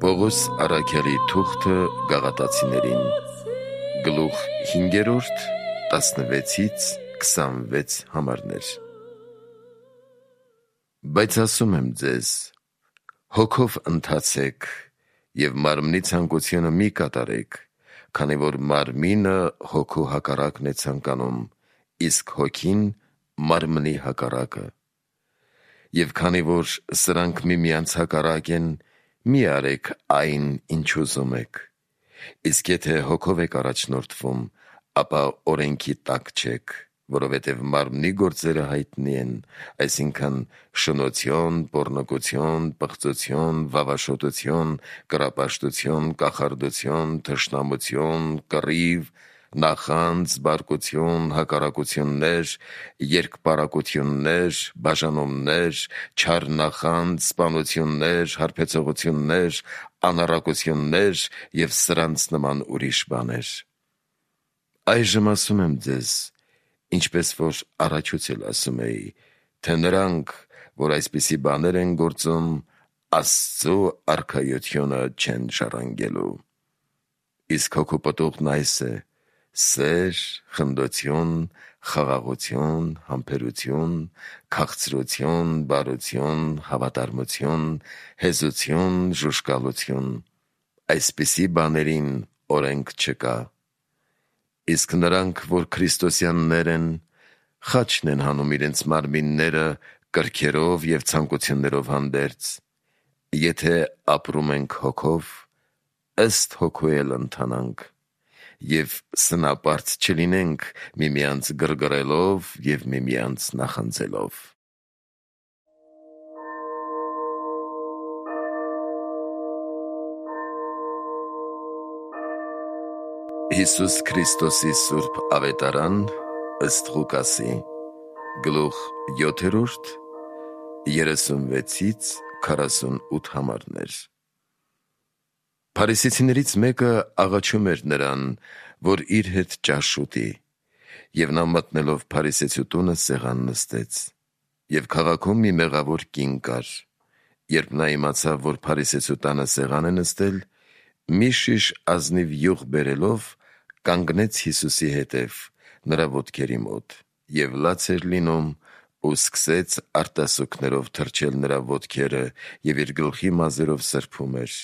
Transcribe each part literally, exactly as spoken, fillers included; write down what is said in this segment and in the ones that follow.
Պողոս առաքյալի թուղթը Գաղատացիներին, գլուխ հինգերորդ, տասնվեցից քսանվեց համարներ։ Բայց ասում եմ ձեզ, հոգով ընթացեք և մարմնի ցանկությունը մի կատարեք, քանի որ մարմինը հոգու հակառակն է ցանկանում, իսկ հոգին մարմնի հակառակը։ Եվ քանի որ սրանք միմյանց հակառակ են, մի արեք այն, ինչ ուզում եք։ Իսկ եթե հոգով եք առաջնորդվում, ապա օրենքի տակ չեք, որովհետև մարմնի գործերը հայտնի են, այսինքն՝ շնություն, պոռնկություն, պղծություն, վավաշոտություն, կռապաշտություն, կախարդություն, թշնամություն, կռիվ, նախանձ, բարկություն, հակառակություններ, երկպառակություններ, բաժանումներ, չար նախանձ, սպանություններ, հարբեցողություններ, անառակություններ և սրանց նման ուրիշ բաներ։ Այժմ ասում եմ ձեզ, ինչպես որ առաջուց էլ ասում էի, թե նրանք, որ այսպիսի բաներ են գործում, Աստծու արքայությունը չեն ժառանգելու։ Իսկ հոգու պտուղն այս է. սեր, խնդություն, խաղաղություն, համբերություն, քաղցրություն, բարություն, հավատարմություն, հեզություն, ժուժկալություն. այսպիսի բաներին օրենք չկա։ Իսկ նրանք, որ քրիստոսյաններ են, խաչն են հանում իրենց մարմինները կրքերով և ցանկություններով հանդերձ։ Եթե ապրում ենք հոգով, ըստ հոգու էլ ընթանանք, և սնապարծ չլինենք միմյանց գրգռելով և միմյանց նախանձելով։ Հիսուս Քրիստոսի սուրբ ավետարան ըստ Ղուկասի, գլուխ յոթերորդ, երեսունվեցից քառասունութ համարներ։ Փարիսեցիներից մեկը աղաչում էր նրան, որ իր հետ ճաշ ուտի, և նա մտնելով փարիսեցու տունը սեղան նստեց։ Եվ քաղաքում մի մեղավոր կին կար։ Երբ նա իմացավ, որ փարիսեցու տանը սեղան է նստել, մի շիշ ազնիվ յուղ բերելով, կանգնեց Հիսուսի հետև, նրա ոտքերի մոտ, և լաց էր լինում, ու սկսեց արտասուքներով թրջել նրա ոտքերը և իր գլխի մազերով սրբում էր,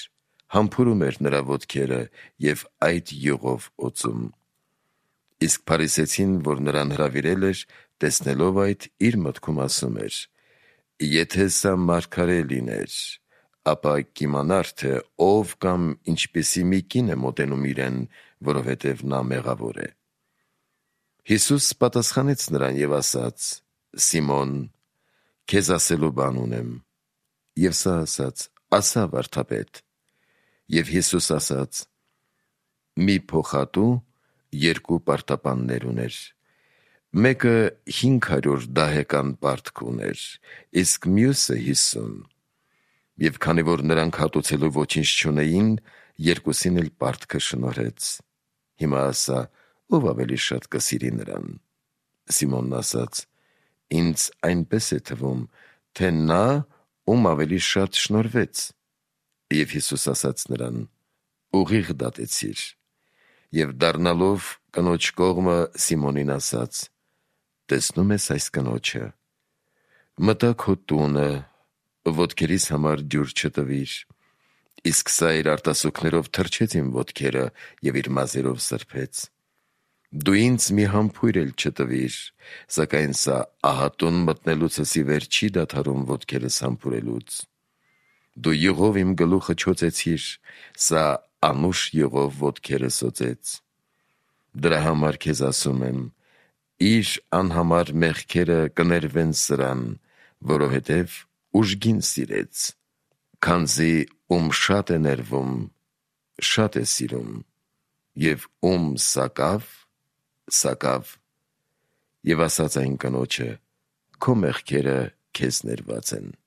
համբուրում էր նրա ոտքերը և այդ յուղով օծում։ Իսկ փարիսեցին, որ նրան հրավիրել էր, տեսնելով այդ, իր մտքում ասում էր. «Եթե սա մարգարե լիներ, ապա կիմանար, թե ով կամ ինչպիսի մի կին է մոտենում իրեն, որովհետև նա մեղավոր է»։ Հիսուս պատասխանեց նրան և ասաց. «Սիմոն, քեզ ասելու բան ունեմ»։ Եվ սա ասաց. «Ասա՛, վարդապետ»։ Եվ Հիսուս ասաց. «Մի փոխատու երկու պարտապաններ ուներ. մեկը հինգ հարյուր դահեկան պարտք ուներ, իսկ մյուսը հիսուն։ Եվ քանի որ նրանք հատուցելու ոչինչ չունեին, երկուսին էլ պարտքը շնորհեց։ Հիմա ասա, ով ավելի շատ կսիրի նրան»։ Սիմոնն ասաց. «Ինձ այնպես է թվում, թե նա, ում ավելի շատ շնորհվեց»։ Եվ Հիսուս ասաց նրան. «Ուղիղ դատեցիր»։ Եվ դառնալով կնոջ կողմը Սիմոնին ասաց. «Տեսնո՞ւմ ես այս կնոջը. մտա քո տունը, ոտքերիս համար ջուր չտվիր, իսկ սա իր արտասուքներով թրջեց իմ ոտքերը և իր մազերով սրբեց։ Դու ինձ մի համբույր էլ չտվիր, սակայն սա ահատուն մտնելուցս ի վեր չի դադարում ոտքերս համբուրելուց։ Դու յուղով իմ գլուխը չօծեցիր, սա անուշ յուղով ոտքերս օծեց։ Դրա համար քեզ ասում եմ. իր անհամար մեղքերը կներվեն սրան, որովհետև ուժգին սիրեց, քանզի ում շատ է ներվում, շատ է սիրում, և ում սակավ, սակավ։ Եվ ասաց այն կնոջը. քո մեղքերը քեզ ներված են»։